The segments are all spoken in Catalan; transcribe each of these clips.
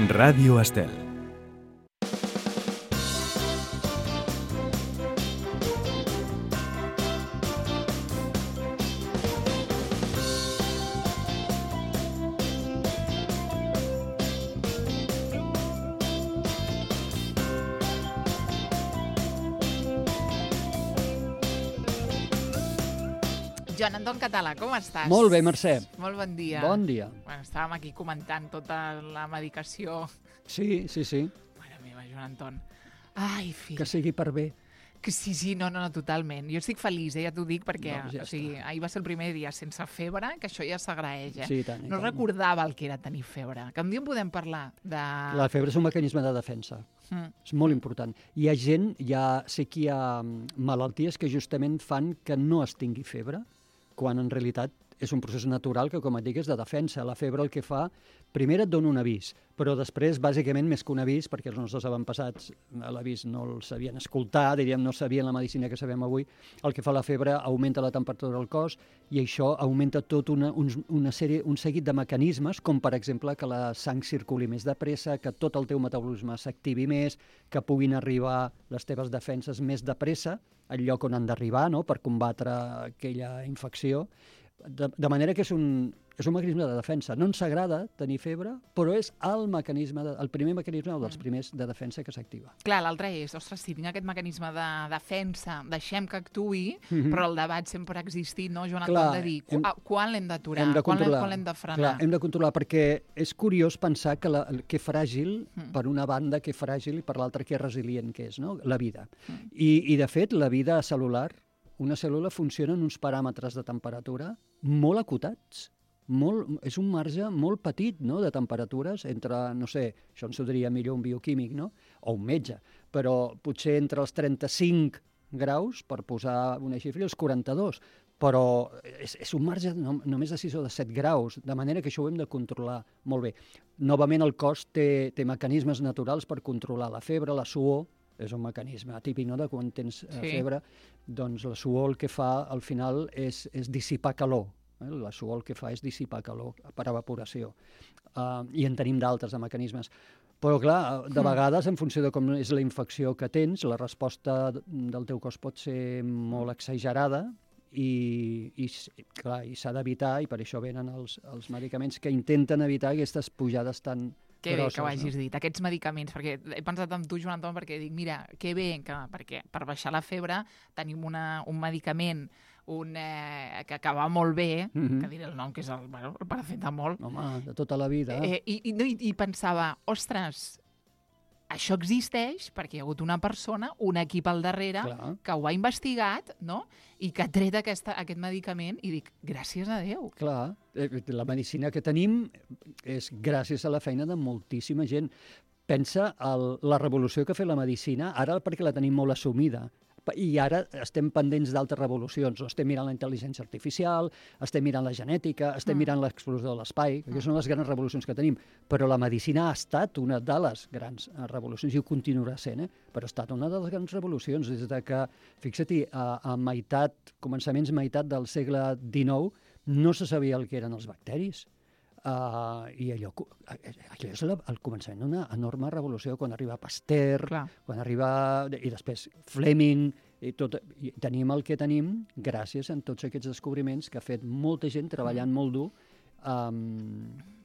Ràdio Estel. Joan Anton Català, com estàs? Molt bé, Mercè. Molt bon dia. Bon dia. Bueno, estàvem aquí comentant tota la medicació. Sí. Mare meva, Joan Anton. Ai, fill. Que sigui per bé. Que sí, no, totalment. Jo estic feliç, ja t'ho dic, perquè Doncs ja ahir va ser el primer dia sense febre, que això ja s'agraeix, Sí, i tant, i No tant. recordava el que era tenir febre. Que un dia en podem parlar de... La febre és un mecanisme de defensa. És molt important. Hi ha gent, sé que hi ha malalties que justament fan que no es tingui febre, quan en realitat és un procés natural que, com et dic, és de defensa. La febre el que fa, primer et dona un avís, però després, bàsicament, més que un avís, perquè els nostres avantpassats l'avís no el sabien escoltar, diríem, no sabien la medicina que sabem avui, el que fa la febre augmenta la temperatura del cos i això augmenta tot un seguit de mecanismes, com per exemple que la sang circuli més de pressa, que tot el teu metabolisme s'activi més, que puguin arribar les teves defenses més de pressa al lloc on han d'arribar, no?, per combatre aquella infecció. De manera que és un mecanisme de defensa. No ens agrada tenir febre, però és el primer mecanisme dels primers de defensa que s'activa. Clar, l'altre és, ostres, si tinc aquest mecanisme de defensa, deixem que actuï, però el debat sempre ha existit, no, Joan Anton, de dir, quan l'hem d'aturar, quan l'hem de frenar? Clar, hem de controlar, perquè és curiós pensar que fràgil, per una banda, que fràgil, i per l'altra que resilient que és, no?, la vida. I, de fet, la vida cel·lular, una cèl·lula funciona en uns paràmetres de temperatura molt acotats. És un marge molt petit, no?, de temperatures entre, no sé, això ens ho diria millor un bioquímic, no?, o un metge, però potser entre els 35 graus, per posar una xifra, i els 42, però és un marge només de 6 o de 7 graus, de manera que això ho hem de controlar molt bé. Novament, el cos té mecanismes naturals per controlar la febre, la suor, és un mecanisme típic, no?, de quan tens febre, doncs la suor el que fa al final és dissipar calor. La suor el que fa és dissipar calor per evaporació. I en tenim d'altres de mecanismes. Però, clar, de vegades, en funció de com és la infecció que tens, la resposta del teu cos pot ser molt exagerada i s'ha d'evitar, i per això venen els medicaments que intenten evitar aquestes pujades tan que bé grosses, que ho hagis dit, aquests medicaments, perquè he pensat en tu, Joan Anton, perquè dic, mira, que bé, perquè per baixar la febre tenim un medicament que va molt bé, que diré el nom, que és el paracetamol. Home, de tota la vida. I pensava, ostres, això existeix perquè hi ha hagut una persona, un equip al darrere, que ho ha investigat, no?, i que ha tret aquest medicament, i dic, gràcies a Déu. Clar, la medicina que tenim és gràcies a la feina de moltíssima gent. Pensa la revolució que ha fet la medicina, ara perquè la tenim molt assumida, i ara estem pendents d'altres revolucions. Estem mirant la intel·ligència artificial, estem mirant la genètica, estem mirant l'explosió de l'espai, que són les grans revolucions que tenim. Però la medicina ha estat una de les grans revolucions, i ho continuarà sent, però ha estat una de les grans revolucions, des de que, fixa't-hi, a començaments del segle XIX, no se sabia el que eren els bacteris. I allò és el començament d'una enorme revolució, quan arriba Pasteur, quan arriba, i després Fleming, i tenim el que tenim gràcies a tots aquests descobriments que ha fet molta gent treballant molt dur,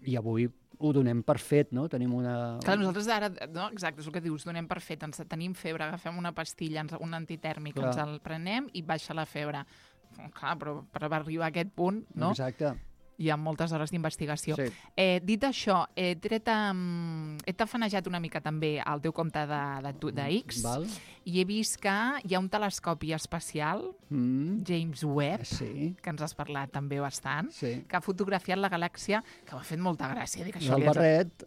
i avui ho donem per fet, no? Tenim una... Clar, nosaltres ara, no? Exacte, és el que dius, donem per fet, tenim febre, agafem una pastilla, un antitèrmic, ens el prenem i baixa la febre. Clar, però per arribar a aquest punt, no? Exacte. Hi ha moltes hores d'investigació. Sí. Dit això, he tafanejat una mica també el teu compte de X, i he vist que hi ha un telescopi espacial, James Webb, que ens has parlat també bastant, que ha fotografiat la galàxia, que m'ha fet molta gràcia. El barret...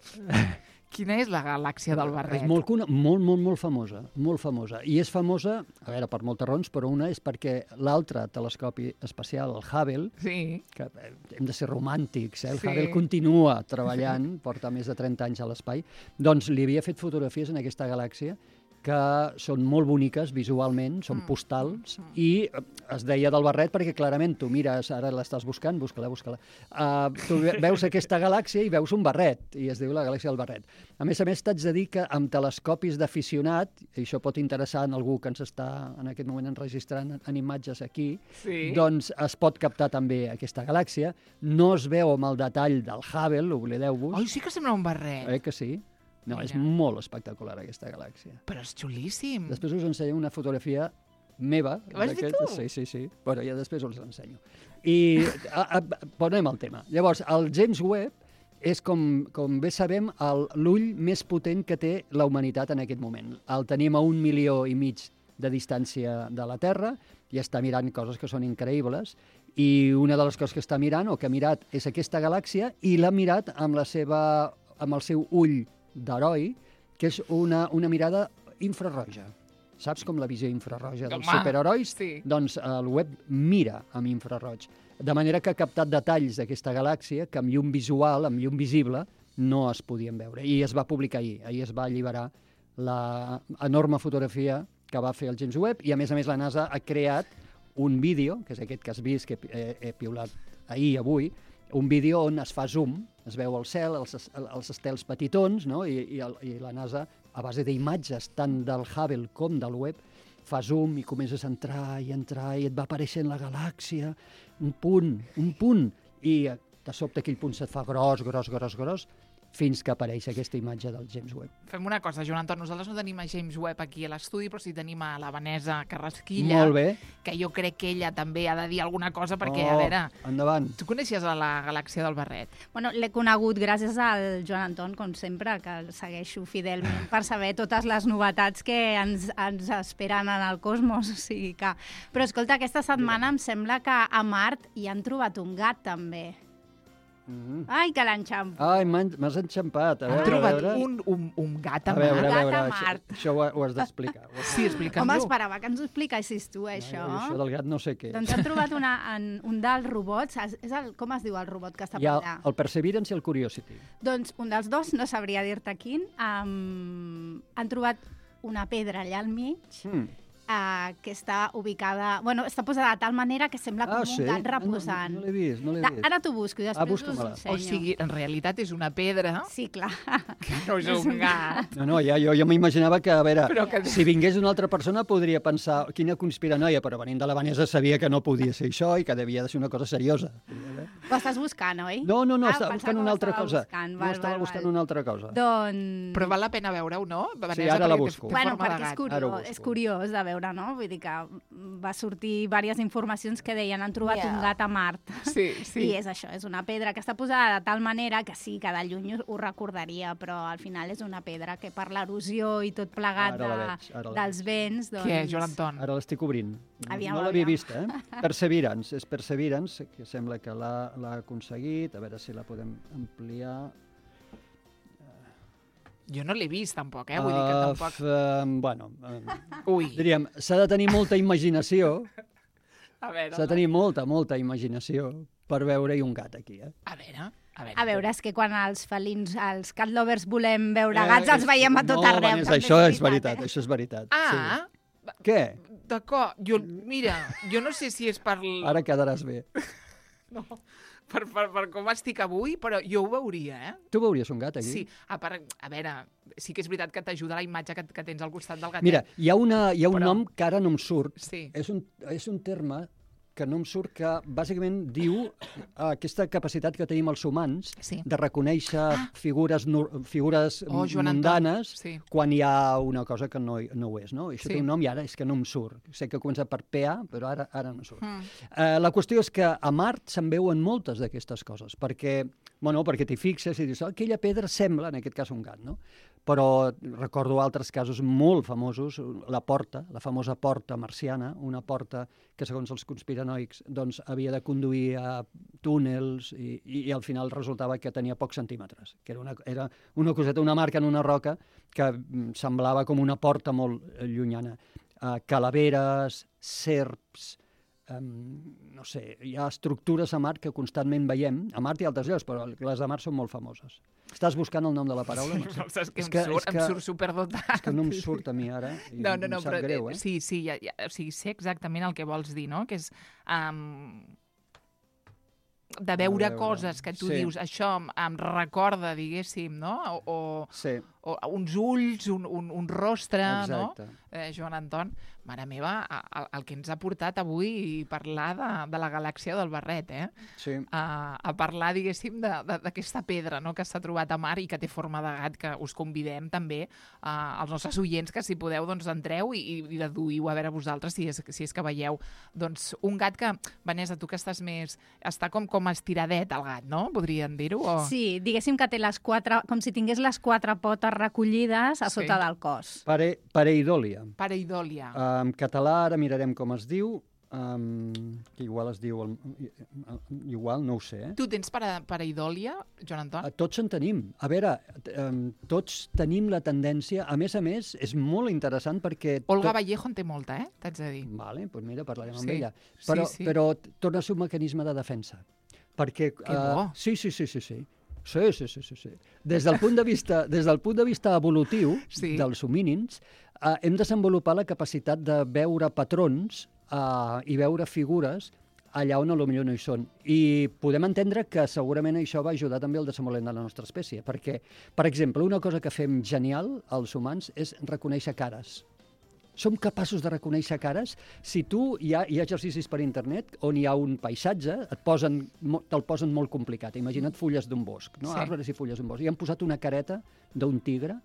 Quina és la galàxia del barret? És molt famosa, molt famosa. I és famosa, a veure, per moltes raons, però una és perquè l'altre telescopi espacial, el Hubble, que hem de ser romàntics, el Hubble continua treballant, porta més de 30 anys a l'espai, doncs li havia fet fotografies en aquesta galàxia que són molt boniques visualment, són postals, i es deia del barret perquè clarament tu mires, ara l'estàs buscant, busca-la. Tu veus aquesta galàxia i veus un barret, i es diu la galàxia del barret. A més, t'haig de dir que amb telescopis d'aficionat, i això pot interessar en algú que ens està en aquest moment enregistrant en imatges aquí, doncs es pot captar també aquesta galàxia. No es veu amb el detall del Hubble, oblideu-vos. Oi, sí que sembla un barret. Que sí? No, és molt espectacular aquesta galàxia. Però és xulíssim. Després us ensenyo una fotografia meva. Vas fer tu? Sí. Bueno, ja després us l'ensenyo. I ponem el tema. Llavors, el James Webb és, com bé sabem, l'ull més potent que té la humanitat en aquest moment. El tenim a 1,5 milions de distància de la Terra i està mirant coses que són increïbles. I una de les coses que està mirant, o que ha mirat, és aquesta galàxia, i l'ha mirat amb el seu ull d'heroi, que és una mirada infrarroja. Saps com la visió infrarroja dels superherois? Sí. Doncs el Webb mira amb infraroig. De manera que ha captat detalls d'aquesta galàxia que amb llum visual, amb llum visible, no es podien veure. I es va publicar ahir. Ahir es va alliberar l'enorme fotografia que va fer el James Webb, i a més la NASA ha creat un vídeo, que és aquest que has vist, que he piulat avui, un vídeo on es fa zoom, es veu el cel, els estels petitons, no? I la NASA, a base d'imatges tant del Hubble com del Webb, fa zoom i comences a entrar i et va apareixent la galàxia, un punt, i de sobte aquell punt se't fa gros, fins que apareix aquesta imatge del James Webb. Fem una cosa, Joan Anton, nosaltres no tenim a James Webb aquí a l'estudi, però sí tenim a la Vanessa Carrasquilla, molt bé, que jo crec que ella també ha de dir alguna cosa, perquè, a veure... Endavant. Tu coneixies la galàxia del barret? Bueno, l'he conegut gràcies al Joan Anton, com sempre, que el segueixo fidelment per saber totes les novetats que ens esperen en el cosmos. O sigui que... Però escolta, aquesta setmana em sembla que a Mart hi han trobat un gat, també. Ai, que l'enxampo. Ai, m'has enxampat. Han trobat un gat a Mart. A veure, Mart. això ho has d'explicar. Sí, explica'm-ho. Home, esperava que ens ho expliquessis tu, això. Això del gat no sé què. Doncs han trobat un dels robots. Com es diu el robot que està per allà? El Perseverance i el Curiosity. Doncs un dels dos, no sabria dir-te quin, han trobat una pedra allà al mig, que està ubicada... Bueno, està posada de tal manera que sembla com un gat reposant. No l'he vist. Ara t'ho busco i després us ensenyo. O sigui, en realitat és una pedra... Sí, clar. Que no és un gat. No, jo m'imaginava que, a veure, si vingués una altra persona podria pensar quina conspiranoia, però venint de la Vanessa sabia que no podia ser això i que devia de ser una cosa seriosa. Ho estàs buscant, oi? No, estava buscant una altra cosa. No estava buscant una altra cosa. Doncs... Però val la pena veure-ho, no? Sí, ara la busco. Bueno, perquè és curiós de veure, no? Vull dir que va sortir diverses informacions que deien han trobat un gat a Mart. Sí. I és això, és una pedra que està posada de tal manera que sí, que de lluny ho recordaria, però al final és una pedra que per l'erosió i tot plegat dels vents... Doncs... Què, Joan Anton? Ara l'estic obrint. Aviam, no l'havia vista, Perseverance, és Perseverance, que sembla que l'ha aconseguit. A veure si la podem ampliar... Jo no l'he vist, tampoc, vull dir que tampoc... Bueno, Ui. Diríem, s'ha de tenir molta imaginació. A veure, s'ha de tenir molta imaginació per veure-hi un gat aquí, A veure, és que quan els felins, els cat lovers volem veure gats, els veiem a tot arreu. No, això és veritat. Ah! Sí. Què? D'acord, mira, jo no sé si és per... Ara quedaràs bé. No, per com estic avui, però jo ho veuria, Tu veuries un gat aquí? Sí, a veure, sí que és veritat que t'ajuda la imatge que tens al costat del gatet. Mira, hi ha un nom que ara no em surt. Sí. És un terme que no em surt, que bàsicament diu aquesta capacitat que tenim els humans de reconèixer figures mundanes quan hi ha una cosa que no ho és, no? Això té un nom i ara és que no em surt. Sé que comença per PA, però ara no surt. La qüestió és que a Mart se'n veuen moltes d'aquestes coses, perquè t'hi fixes i dius, aquella pedra sembla, en aquest cas, un gat, no? Però recordo altres casos molt famosos, la famosa porta marciana, una porta que, segons els conspiranoics, doncs, havia de conduir a túnels i al final resultava que tenia pocs centímetres, que era una coseta, una marca en una roca que semblava com una porta molt llunyana. Calaveres, serps, no sé, hi ha estructures a Mart que constantment veiem, a Mart i altres llocs, però les de Mart són molt famoses. Estàs buscant el nom de la paraula? Saps que em surt superdotat. És que no em surt a mi ara, i em sap greu, eh? Sí, o sigui, sé exactament el que vols dir, no? Que és de veure coses que tu dius, això em recorda, diguéssim, no? O uns ulls, un rostre, no? Joan Anton, mare meva, el que ens ha portat avui parlar de la galàxia del Barret, Sí. A parlar, diguéssim, d'aquesta pedra, no?, que s'ha trobat a Mart i que té forma de gat, que us convidem també als nostres oients que, si podeu, doncs entreu i deduïu a veure vosaltres si és que veieu doncs un gat que, Vanessa, tu que estàs més... està com estiradet el gat, no? Podríem dir-ho? O... Sí, diguéssim que té les quatre... com si tingués les quatre potes recollides a sota del cos. Pareidòlia. Pareidòlia. En català, ara mirarem com es diu, que igual es diu... igual, no ho sé. Tu tens pareidòlia, Joan Anton? Tots en tenim. A veure, tots tenim la tendència... A més, és molt interessant perquè... Olga Vallejo en té molta, t'haig de dir. Vale, doncs mira, parlarem amb ella. Però torna a ser un mecanisme de defensa. Perquè... Que bo! Sí. Des del punt de vista evolutiu dels homínids, hem desenvolupat la capacitat de veure patrons i veure figures allà on potser no hi són. I podem entendre que segurament això va ajudar també al desenvolupament de la nostra espècie, perquè, per exemple, una cosa que fem genial els humans és reconèixer cares. Som capaços de reconèixer cares. Si tu, hi ha exercicis per internet on hi ha un paisatge, te'l posen molt complicat. Imagina't fulles d'un bosc, no? Arbres i fulles d'un bosc. I han posat una careta d'un tigre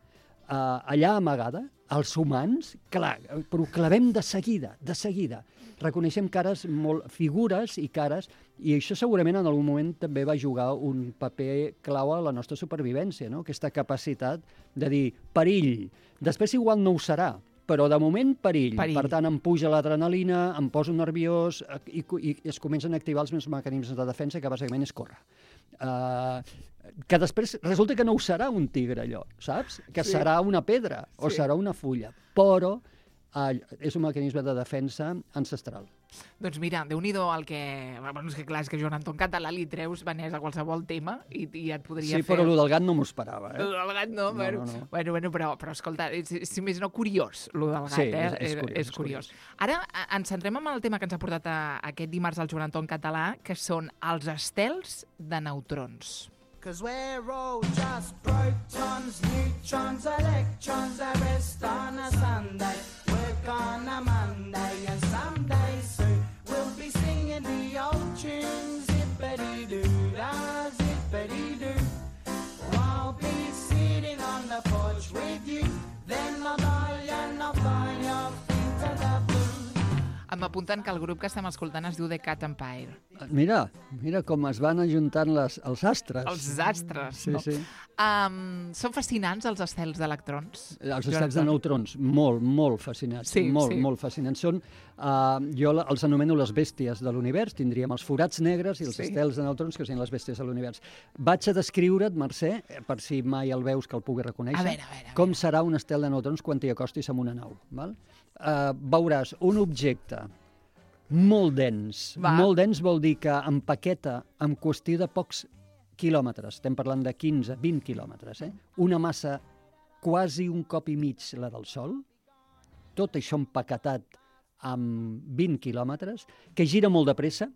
allà amagada. Els humans, clar, però ho clavem de seguida. Reconeixem cares, figures i cares, i això segurament en algun moment també va jugar un paper clau a la nostra supervivència, no? Aquesta capacitat de dir perill. Després igual no ho serà, però de moment perill. Per tant, em puja l'adrenalina, em poso nerviós i es comencen a activar els meus mecanismes de defensa, que bàsicament és córrer. Que després resulta que no ho serà un tigre, allò, saps? Que serà una pedra o serà una fulla, però és un mecanisme de defensa ancestral. Doncs mira, Déu-n'hi-do el que... Bueno, és que clar, és que Joan Anton català li treus, Vanessa, a qualsevol tema i et podria fer... Sí, però el del gat no m'ho esperava, El del gat no. Bueno, però escolta, si més no, curiós, el del gat, Sí, és curiós. Ara ens centrem en el tema que ens ha portat aquest dimarts el Joan Anton català, que són els estels de neutrons. 'Cause we're all just protons, neutrons, electrons, a rest on a Sunday, work on a Monday, and someday soon we'll be singing the old tunes, zippity-doo-dah, zippity-doo. I'll be sitting on the porch with you, then I'll die and I'll fly your feet to the blue. M'apunten que el grup que estem escoltant es diu The Cat Empire. Mira com es van ajuntant els astres. Els astres, no? Sí. Són fascinants els estels d'electrons? Els estels de neutrons, molt fascinants. Molt fascinants. Jo els anomeno les bèsties de l'univers. Tindríem els forats negres i els estels de neutrons, que són les bèsties de l'univers. Vaig a descriure't, Mercè, per si mai el veus que el pugui reconèixer, a veure. Com serà un estel de neutrons quan t'hi acostis amb una nau. Val? Veuràs un objecte molt dens. Molt dens vol dir que empaqueta en qüestió de pocs quilòmetres, estem parlant de 15-20 quilòmetres, una massa quasi un cop i mig la del Sol, tot això empaquetat amb 20 quilòmetres, que gira molt de pressa.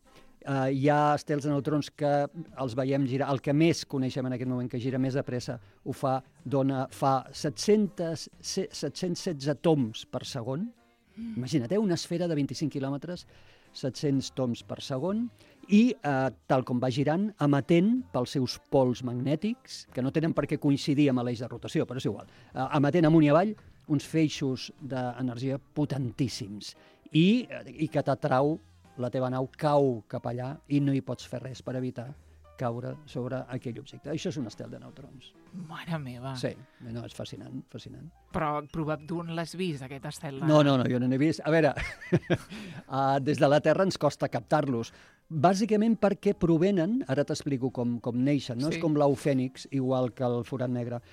Hi ha estels de neutrons que els veiem girar, el que més coneixem en aquest moment, que gira més de pressa, fa 716 toms per segon. Imagina't, una esfera de 25 quilòmetres, 700 toms per segon, i, tal com va girant, emetent pels seus pols magnètics, que no tenen per què coincidir amb l'eix de rotació, però és igual, emetent amunt i avall uns feixos d'energia potentíssims, i que t'atrau, la teva nau cau cap allà i no hi pots fer res per evitar caure sobre aquell objecte. Això és un estel de neutrons. Mare meva. Sí, no, és fascinant. Però tu on l'has vist, aquest estel? No, jo no n'he vist. A veure, des de la Terra ens costa captar-los. Bàsicament perquè provenen, ara t'explico com neixen, no? És com l'au fènix, igual que el forat negre.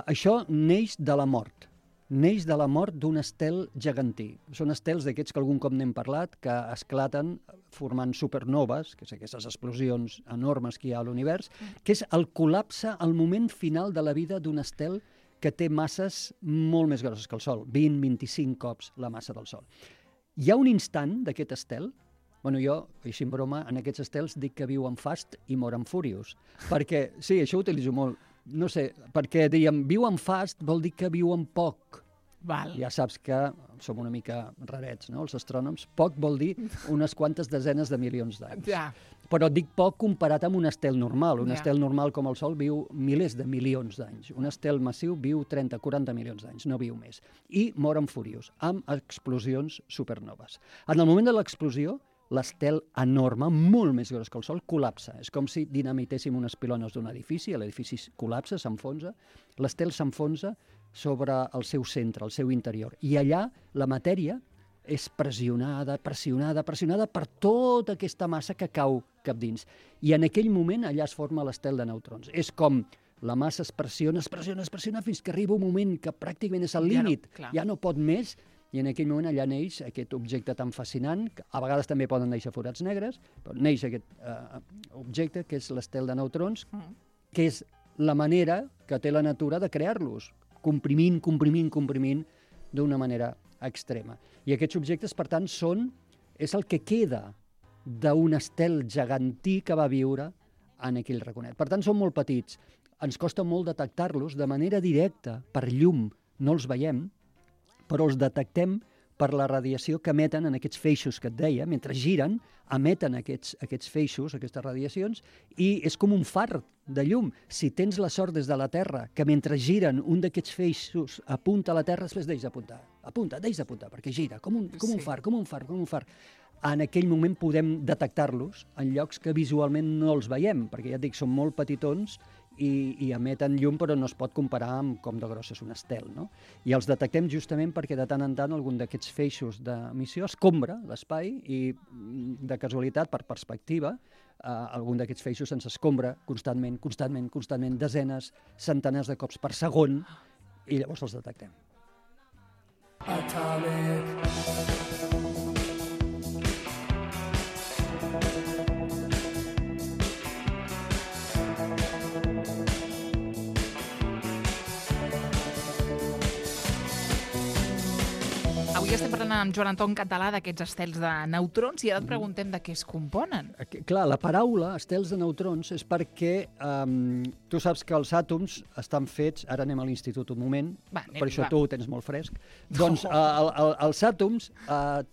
Això neix de la mort. neix de la mort d'un estel gegantí. Són estels d'aquests que algun cop n'hem parlat, que esclaten formant supernoves, que és aquestes explosions enormes que hi ha a l'univers, que és el col·lapse, el moment final de la vida d'un estel que té masses molt més grosses que el Sol, 20-25 cops la massa del Sol. Hi ha un instant d'aquest estel. Bueno, jo, així en broma, en aquests estels dic que viuen fast i moren furious. Perquè, sí, això ho utilitzo molt. No sé, perquè dèiem, viuen fast vol dir que viuen poc. Val. Ja saps que som una mica rarets, no?, els astrònoms. Poc vol dir unes quantes desenes de milions d'anys. Ja. Però dic poc comparat amb un estel normal. Un estel normal com el Sol viu milers de milions d'anys. Un estel massiu viu 30-40 milions d'anys, no viu més. I moren furious, amb explosions supernoves. En el moment de l'explosió, l'estel enorme, molt més gros que el Sol, col·lapsa. És com si dinamitéssim unes pilones d'un edifici, l'edifici col·lapsa, s'enfonsa, l'estel s'enfonsa sobre el seu centre, el seu interior. I allà la matèria és pressionada per tota aquesta massa que cau cap dins. I en aquell moment allà es forma l'estel de neutrons. És com la massa es pressiona fins que arriba un moment que pràcticament és al límit, ja no pot més, i en aquell moment allà neix aquest objecte tan fascinant, que a vegades també poden néixer forats negres, però neix aquest objecte que és l'estel de neutrons, que és la manera que té la natura de crear-los, comprimint d'una manera extrema. I aquests objectes, per tant, és el que queda d'un estel gegantí que va viure en aquell raconet. Per tant, són molt petits. Ens costa molt detectar-los de manera directa, per llum, no els veiem, però els detectem per la radiació que emeten en aquests feixos que et deia. Mentre giren, emeten aquests feixos, aquestes radiacions, i és com un far de llum. Si tens la sort des de la Terra que mentre giren un d'aquests feixos apunta a la Terra, després deix d'apuntar. Deix d'apuntar, perquè gira, com un far. En aquell moment podem detectar-los en llocs que visualment no els veiem, perquè ja et dic, són molt petitons i emeten llum, però no es pot comparar amb com de gros és un estel, no? I els detectem justament perquè de tant en tant algun d'aquests feixos d'emissió escombra l'espai i, de casualitat, per perspectiva, algun d'aquests feixos se'ns escombra constantment, desenes, centenars de cops per segon, i llavors els detectem. Avui estem parlant amb Joan Anton Català d'aquests estels de neutrons i ara et preguntem de què es componen. Clar, la paraula estels de neutrons és perquè tu saps que els àtoms estan fets, ara anem a l'institut un moment, per això tu ho tens molt fresc, doncs els àtoms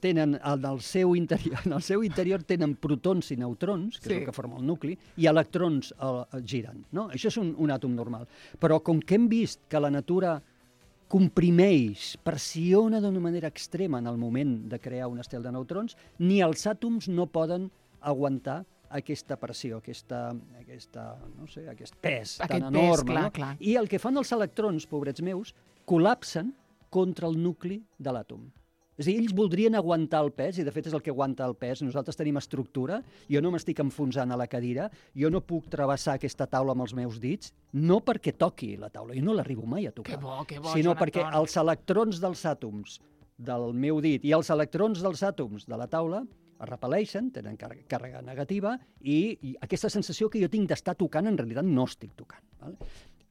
tenen en el seu interior tenen protons i neutrons, que és el que forma el nucli, i electrons giren, no? Això és un àtom normal. Però com que hem vist que la natura comprimeix, pressiona d'una manera extrema en el moment de crear un estel de neutrons, ni els àtoms no poden aguantar aquesta pressió, aquest pes tan enorme. I el que fan els electrons, pobrets meus, col·lapsen contra el nucli de l'àtom. És a dir, ells voldrien aguantar el pes, i de fet és el que aguanta el pes. Nosaltres tenim estructura, jo no m'estic enfonsant a la cadira, jo no puc travessar aquesta taula amb els meus dits, no perquè toqui la taula, jo no l'arribo mai a tocar, sinó perquè els electrons dels àtoms del meu dit i els electrons dels àtoms de la taula es repel·leixen, tenen càrrega negativa, i aquesta sensació que jo tinc d'estar tocant, en realitat no estic tocant.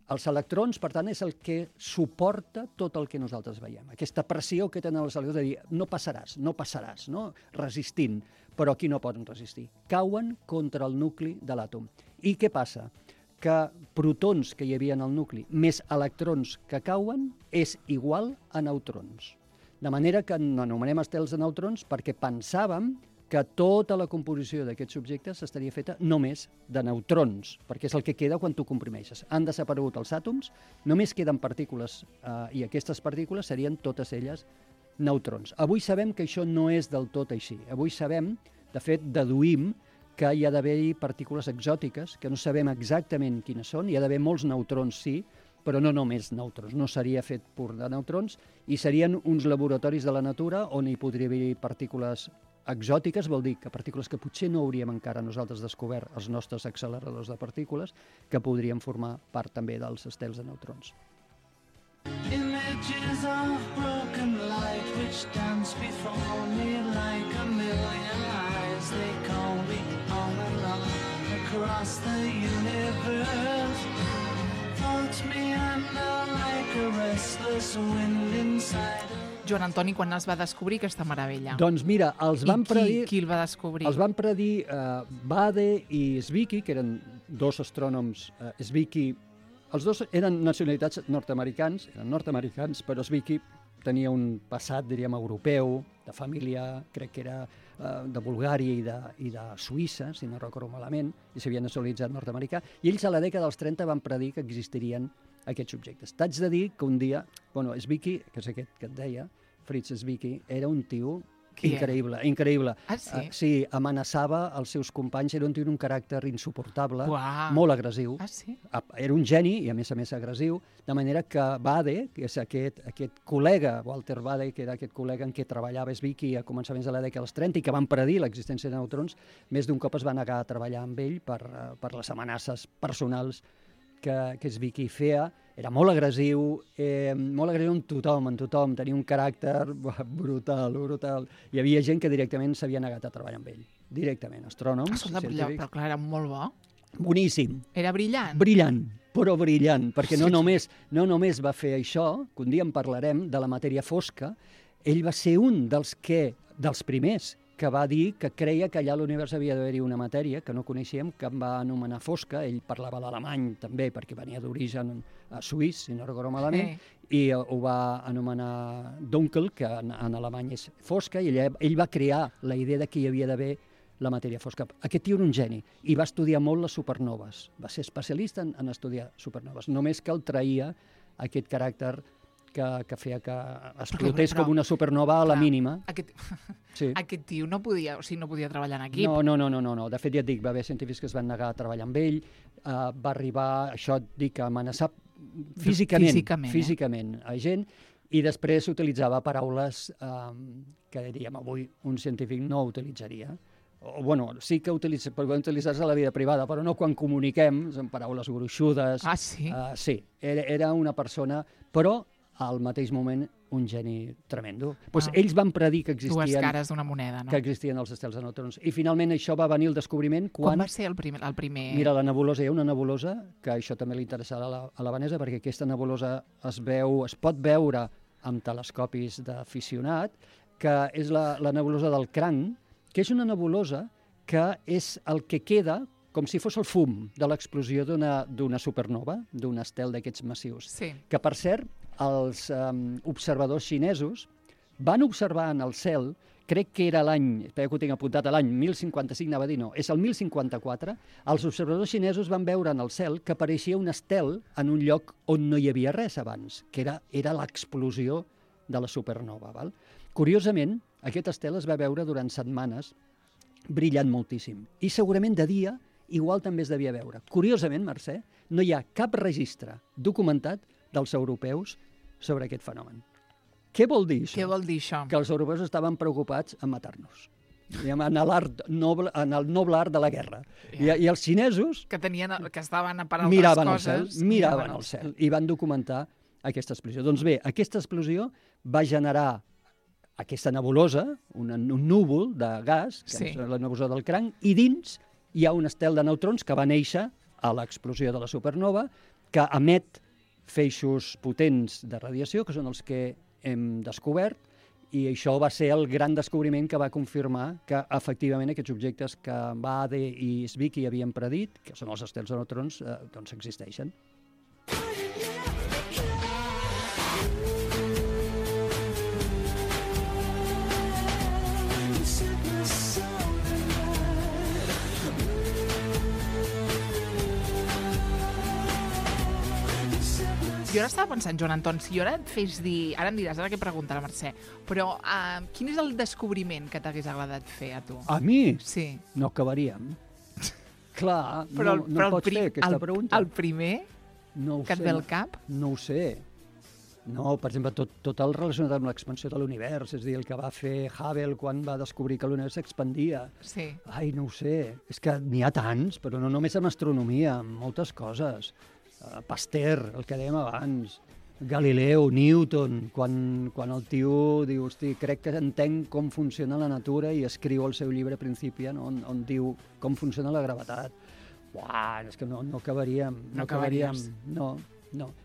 Els electrons, per tant, és el que suporta tot el que nosaltres veiem. Aquesta pressió que tenen els electrons de dir no passaràs, no? Resistint, però aquí no poden resistir. Cauen contra el nucli de l'àtom. I què passa? Que protons que hi havia en el nucli més electrons que cauen és igual a neutrons. De manera que n'anomenem estels de neutrons perquè pensàvem que tota la composició d'aquests objectes estaria feta només de neutrons, perquè és el que queda quan tu comprimeixes. Han desaparegut els àtoms, només queden partícules, i aquestes partícules serien totes elles neutrons. Avui sabem que això no és del tot així. Avui sabem, de fet, deduïm que hi ha d'haver-hi partícules exòtiques, que no sabem exactament quines són, hi ha d'haver molts neutrons, sí, però no només neutrons, no seria fet pur de neutrons, i serien uns laboratoris de la natura on hi podria haver partícules exòtiques, vol dir que partícules que potser no hauríem encara nosaltres descobert, els nostres acceleradors de partícules, que podrien formar part també dels estels de neutrons. images of broken light which dance before me like a million eyes. They call me on and on across the universe. Floats me under like a restless wind inside. Joan Antoni, quan es va descobrir aquesta meravella? Doncs mira, els van predir... Qui el va descobrir? Els van predir Bade i Zwicky, que eren dos astrònoms. Zwicky, els dos eren nacionalitats nord-americans, però Zwicky tenia un passat, diríem, europeu, de família, crec que era de Bulgària i de Suïssa, si no recordo malament, i s'havia nacionalitzat nord-americà, i ells a la dècada dels 30 van predir que existirien aquests objectes. T'haig de dir que un dia, Zwicky, que és aquest que et deia, Fritz Zwicky, era un tio increïble, increïble. Ah, sí? Sí, amenaçava els seus companys, era un tio d'un caràcter insuportable, Uau. molt agressiu. Ah, sí? Era un geni i, a més agressiu, de manera que Bade, que és aquest col·lega, Walter Bade, que era aquest col·lega en què treballava Zwicky a començaments de la dècada dels 30 i que van predir l'existència de neutrons, més d'un cop es va negar a treballar amb ell per les amenaces personals que Zwicky feia. Era molt agressiu amb tothom, tenia un caràcter brutal. Hi havia gent que directament s'havia negat a treballar amb ell. Directament, astrònoms, científics. Però clar, era molt bo. Boníssim. Era brillant. Brillant, però brillant, perquè no només va fer això, que un dia en parlarem, de la matèria fosca, ell va ser un dels primers que va dir que creia que allà a l'univers havia d'haver-hi una matèria que no coneixíem, que em va anomenar fosca. Ell parlava l'alemany també, perquè venia d'origen suís, si no recordo malament, i ho va anomenar Dunkel, que en alemany és fosca, i ell va crear la idea de que hi havia d'haver la matèria fosca. Aquest tio era un geni, i va estudiar molt les supernoves. Va ser especialista en estudiar supernoves. Només que el traïa aquest caràcter que feia que explotés com una supernova a la mínima. Aquest tio no podia treballar en equip. No. De fet, ja et dic, va haver científics que es van negar a treballar amb ell, va arribar, això et dic, a amenaçar físicament a gent, i després utilitzava paraules que diríem avui un científic no utilitzaria. Sí que podem utilitzar-se a la vida privada, però no quan comuniquem, són paraules gruixudes. Ah, sí? Sí, era una persona, però al mateix moment un geni tremendo. Ells van predir que existien... Dues cares d'una moneda, no? Que existien els estels de neutrons. I finalment això va venir el descobriment quan... Com va ser el primer? Mira, la nebulosa, hi ha una nebulosa, que això també li interessarà a la Vanessa, perquè aquesta nebulosa es pot veure amb telescopis d'aficionat, que és la nebulosa del Cranc, que és una nebulosa que és el que queda com si fos el fum de l'explosió d'una supernova, d'un estel d'aquests massius. Sí. Que, per cert, els observadors xinesos van observar en el cel, crec que era l'any, espera que ho tinc apuntat, l'any 1055, anava a dir no, és el 1054, els observadors xinesos van veure en el cel que apareixia un estel en un lloc on no hi havia res abans, que era l'explosió de la supernova. Val? Curiosament, aquest estel es va veure durant setmanes brillant moltíssim. I segurament de dia igual també es devia veure. Curiosament, Mercè, no hi ha cap registre documentat dels europeus sobre aquest fenomen. Què vol dir això? Què vol dir això? Que els europeus estaven preocupats en matar-nos. En el noble art de la guerra. I els xinesos... Que estaven per altres coses... Miraven al cel i van documentar aquesta explosió. Doncs bé, aquesta explosió va generar aquesta nebulosa, un núvol de gas, que és la nebulosa del Cranc, i dins hi ha un estel de neutrons que va néixer a l'explosió de la supernova, que emet feixos potents de radiació, que són els que hem descobert, i això va ser el gran descobriment que va confirmar que, efectivament, aquests objectes que Bade i Zwicky havien predit, que són els estels de neutrons, doncs existeixen. Jo ara estava pensant, Joan Anton, si jo ara et fes dir... Ara em diràs, ara què pregunta la Mercè, però quin és el descobriment que t'hagués agradat fer a tu? A mi? Sí. No acabaríem. Clar, no pots fer aquesta pregunta. El primer que et ve al cap? No ho sé. No, per exemple, tot el relacionat amb l'expansió de l'univers, és a dir, el que va fer Hubble quan va descobrir que l'univers s'expandia. Sí. Ai, no ho sé. És que n'hi ha tants, però no només en astronomia, en moltes coses. Pasteur, el que dèiem abans. Galileu, Newton, quan el tio diu, hosti, crec que entenc com funciona la natura i escriu el seu llibre Principiant on diu com funciona la gravetat. Uah, és que no acabaríem. No acabaríem. No.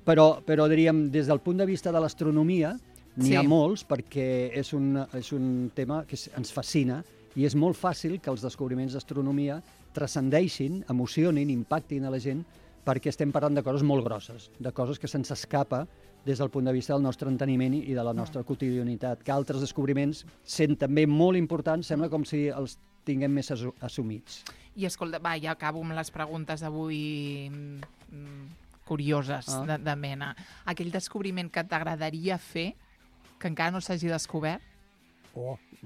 Però diríem, des del punt de vista de l'astronomia, n'hi ha molts, perquè és un tema que ens fascina i és molt fàcil que els descobriments d'astronomia transcendeixin, emocionin, impactin a la gent, perquè estem parlant de coses molt grosses, de coses que se'ns escapa des del punt de vista del nostre enteniment i de la nostra quotidianitat, que altres descobriments sent també molt importants, sembla com si els tinguem més assumits. I escolta, ja acabo amb les preguntes avui curioses de mena. Aquell descobriment que t'agradaria fer, que encara no s'hagi descobert?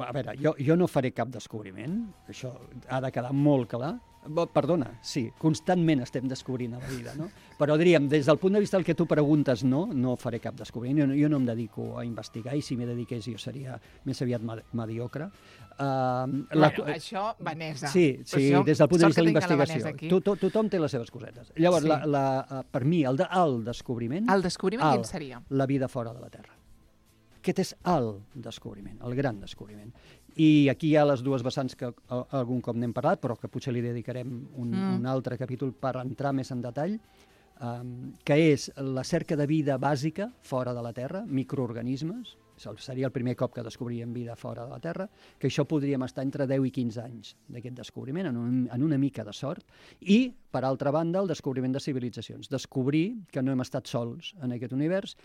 A veure, jo no faré cap descobriment, això ha de quedar molt clar. Perdona, sí, constantment estem descobrint a la vida, no? Però diríem, des del punt de vista del que tu preguntes, no faré cap descobriment. Jo no em dedico a investigar i si m'hi dediqués jo seria més aviat mediocre. Això, Vanessa. Sí, des del punt de vista de la investigació. Tothom té les seves cosetes. Llavors, per mi, el descobriment... El descobriment quin seria? La vida fora de la Terra. Aquest és el descobriment, el gran descobriment. I aquí hi ha les dues vessants que algun cop n'hem parlat, però que potser li dedicarem un altre capítol per entrar més en detall, que és la cerca de vida bàsica fora de la Terra, microorganismes, seria el primer cop que descobríem vida fora de la Terra, que això podríem estar entre 10 i 15 anys d'aquest descobriment, en una mica de sort, i, per altra banda, el descobriment de civilitzacions. Descobrir que no hem estat sols en aquest univers,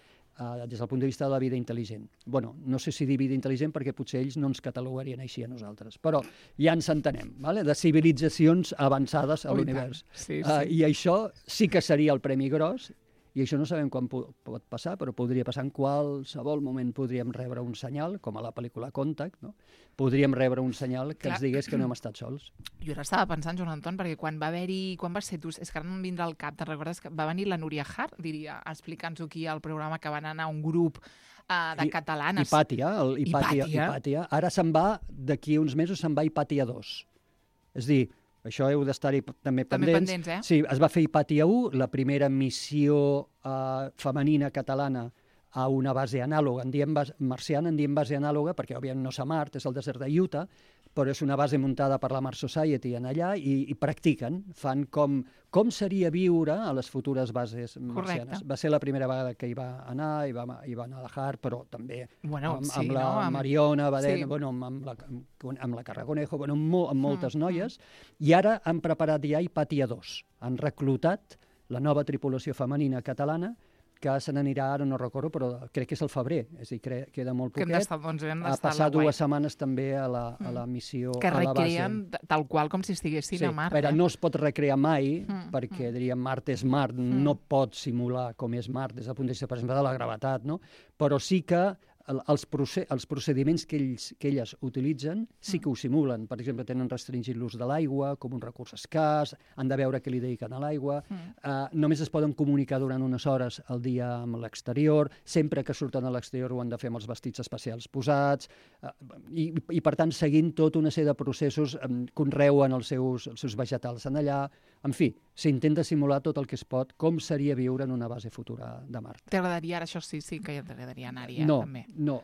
des del punt de vista de la vida intel·ligent. Bueno, no sé si dir vida intel·ligent perquè potser ells no ens catalogarien així a nosaltres, però ja ens entenem, de civilitzacions avançades a l'univers. I això sí que seria el premi gros, i això no sabem quan pot passar, però podria passar en qualsevol moment. Podríem rebre un senyal, com a la pel·lícula Contact, no? Podríem rebre un senyal que ens digués que no hem estat sols. Jo ara estava pensant, Joan Anton, perquè quan va ser tu, és que ara no em vindrà al cap, te'n recordes que va venir la Núria Hart, diria, explicant-nos aquí al programa que van anar un grup de catalanes. Hipàtia. Ara se'n va, d'aquí uns mesos se'n va Hipàtia 2. És dir, això heu d'estar-hi també pendents. Sí, es va fer Hipàtia 1, la primera missió femenina catalana a una base anàloga. Marciana en diem base anàloga perquè, òbviament, no és a Mart, és el desert de Utah, però és una base muntada per la Mars Society en allà i practiquen, fan com seria viure a les futures bases marcianes. Correcte. Va ser la primera vegada que hi va anar, hi va anar a la Hart, però també amb la Mariona, amb la Carraconejo, amb moltes noies, i ara han preparat ja Hipàtia 2. Han reclutat la nova tripulació femenina catalana, que se n'anirà, ara no recordo, però crec que és el febrer, és a dir, queda molt poquet. A passar 2 setmanes també a la missió, que a la base. recreen tal qual com si estiguessin a Mart. Però no es pot recrear mai, perquè, diríem, Mart és Mart, no pot simular com és Mart des del punt de vista, per exemple, de la gravetat, no? Però sí que els procediments que elles utilitzen sí que ho simulen. Per exemple, tenen restringit l'ús de l'aigua com un recurs escàs, han de veure què li dediquen a l'aigua, només es poden comunicar durant unes hores al dia amb l'exterior, sempre que surten a l'exterior ho han de fer amb els vestits especials posats, i per tant, seguint tota una sèrie de processos, conreuen els seus vegetals en allà. En fi, s'intenta simular tot el que es pot, com seria viure en una base futura de Mart. T'agradaria, ara això sí que t'agradaria anar-hi, també. No,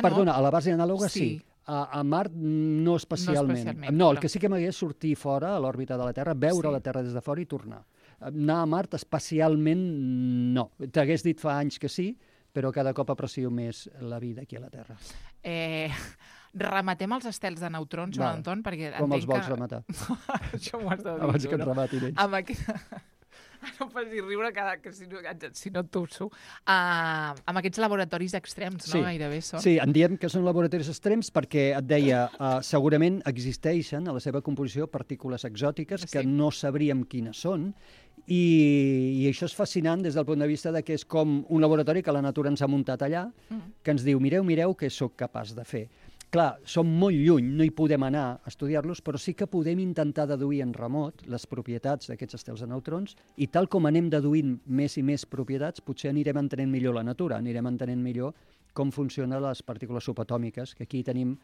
perdona, a la base anàloga sí. A Mart no especialment. No, el que sí que m'hagués sortir fora, a l'òrbita de la Terra, veure la Terra des de fora i tornar. Anar a Mart especialment no. T'hagués dit fa anys que sí, però cada cop aprecio més la vida aquí a la Terra. Rematem els estels de neutrons, Joan Anton, perquè com els vols rematar? Això m'ho has de dir. Abans que et rematin ells. No em facis riure que si no et torço. Amb aquests laboratoris extrems, no? Gairebé són. Sí, en diem que són laboratoris extrems perquè et deia, segurament existeixen a la seva composició partícules exòtiques que no sabríem quines són, i això és fascinant des del punt de vista que és com un laboratori que la natura ens ha muntat allà, que ens diu, mireu què sóc capaç de fer. Clar, som molt lluny, no hi podem anar a estudiar-los, però sí que podem intentar deduir en remot les propietats d'aquests estels de neutrons, i tal com anem deduint més i més propietats, potser anirem entenent millor la natura, anirem entenent millor com funcionen les partícules subatòmiques, que aquí tenim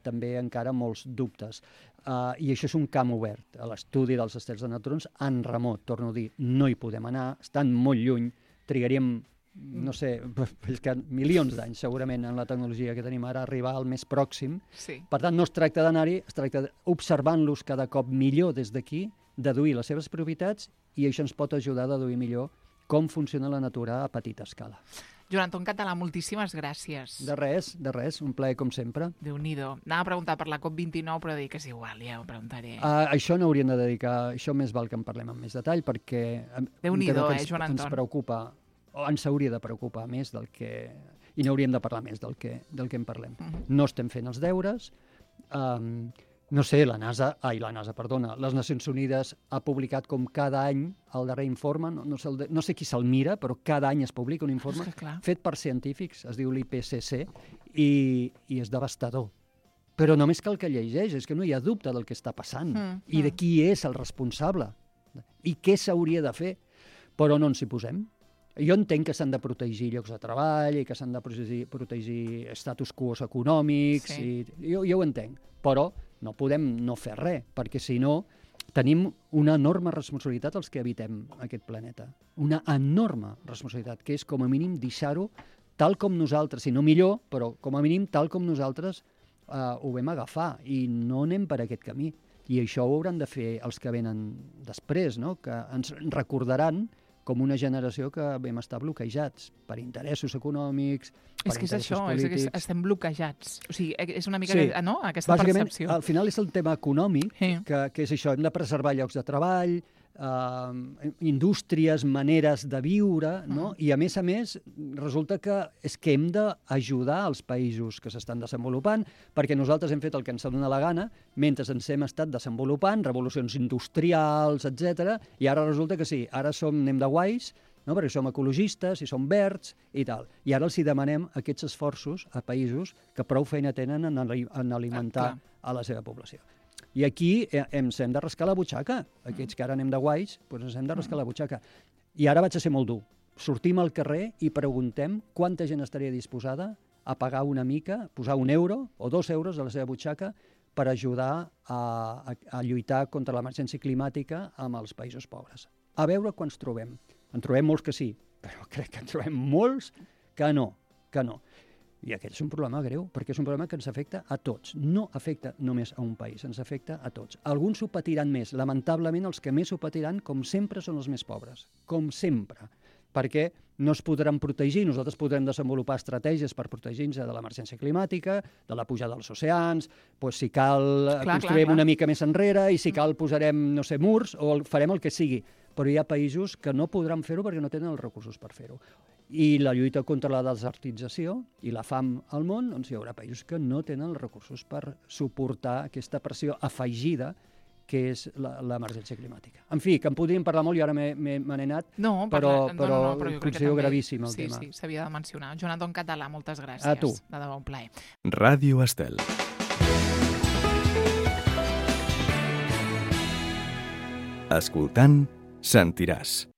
també encara molts dubtes. I això és un camp obert, a l'estudi dels estels de neutrons en remot, torno a dir, no hi podem anar, estan molt lluny, trigaríem no sé, és que milions d'anys segurament en la tecnologia que tenim ara arribar al més pròxim. Sí. Per tant, no es tracta d'anar-hi, es tracta d'observant-los cada cop millor des d'aquí, deduir les seves propietats, i això ens pot ajudar a deduir millor com funciona la natura a petita escala. Joan Anton Català, moltíssimes gràcies. De res, un plaer com sempre. Déu-n'hi-do. Anava a preguntar per la COP29, però dic que és igual, ja ho preguntaré. Això no hauríem de dedicar, això més val que en parlem amb més detall, perquè Déu-n'hi-do, Joan Anton. Ens preocupa, o ens hauria de preocupar més del que... I n'hauríem de parlar més del que en parlem. No estem fent els deures. No sé, les Nacions Unides ha publicat com cada any el darrer informe, no sé qui se'l mira, però cada any es publica un informe fet per científics, es diu l'IPCC, i és devastador. Però només cal que llegeix, és que no hi ha dubte del que està passant i de qui és el responsable i què s'hauria de fer, però no ens hi posem. Jo entenc que s'han de protegir llocs de treball i que s'han de protegir status quo econòmics, jo ho entenc, però no podem no fer res, perquè si no tenim una enorme responsabilitat els que habitem aquest planeta. Una enorme responsabilitat, que és com a mínim deixar-ho tal com nosaltres, si no millor, però com a mínim tal com nosaltres ho vam agafar, i no anem per aquest camí. I això ho hauran de fer els que venen després, no? Que ens recordaran com una generació que vam estar bloquejats per interessos econòmics, per interessos polítics. És que estem bloquejats. O sigui, és una mica aquesta percepció. Al final és el tema econòmic, que és això, hem de preservar llocs de treball, indústries, maneres de viure, no? I a més, resulta que hem d'ajudar els països que s'estan desenvolupant, perquè nosaltres hem fet el que ens dona la gana, mentre ens hem estat desenvolupant, revolucions industrials, etc. I ara resulta que sí, ara anem de guais, no? Perquè som ecologistes i som verds i tal. I ara els demanem aquests esforços a països que prou feina tenen en alimentar a la seva població. I aquí ens hem de rascar la butxaca. Aquests que ara anem de guais, doncs ens hem de rascar la butxaca. I ara vaig a ser molt dur. Sortim al carrer i preguntem quanta gent estaria disposada a pagar una mica, posar €1 o €2 de la seva butxaca per ajudar a lluitar contra l'emergència climàtica amb els països pobres. A veure quants trobem. En trobem molts que sí, però crec que en trobem molts que no. I aquest és un problema greu, perquè és un problema que ens afecta a tots. No afecta només a un país, ens afecta a tots. Alguns ho patiran més. Lamentablement, els que més ho patiran, com sempre, són els més pobres. Com sempre. Perquè no es podran protegir. Nosaltres podrem desenvolupar estratègies per protegir-nos de l'emergència climàtica, de la pujada dels oceans, si cal construirem una mica més enrere i si cal posarem, no sé, murs o farem el que sigui. Però hi ha països que no podran fer-ho perquè no tenen els recursos per fer-ho. I la lluita contra la desertització i la fam al món, doncs hi haurà països que no tenen els recursos per suportar aquesta pressió afegida que és l'emergència climàtica. En fi, que en podríem parlar molt i ara me n'he anat, però considero gravíssim el tema. Sí, s'havia de mencionar. Joan Anton Català, moltes gràcies. A tu. De debò, un plaer. Ràdio Estel. Escoltant, sentiràs.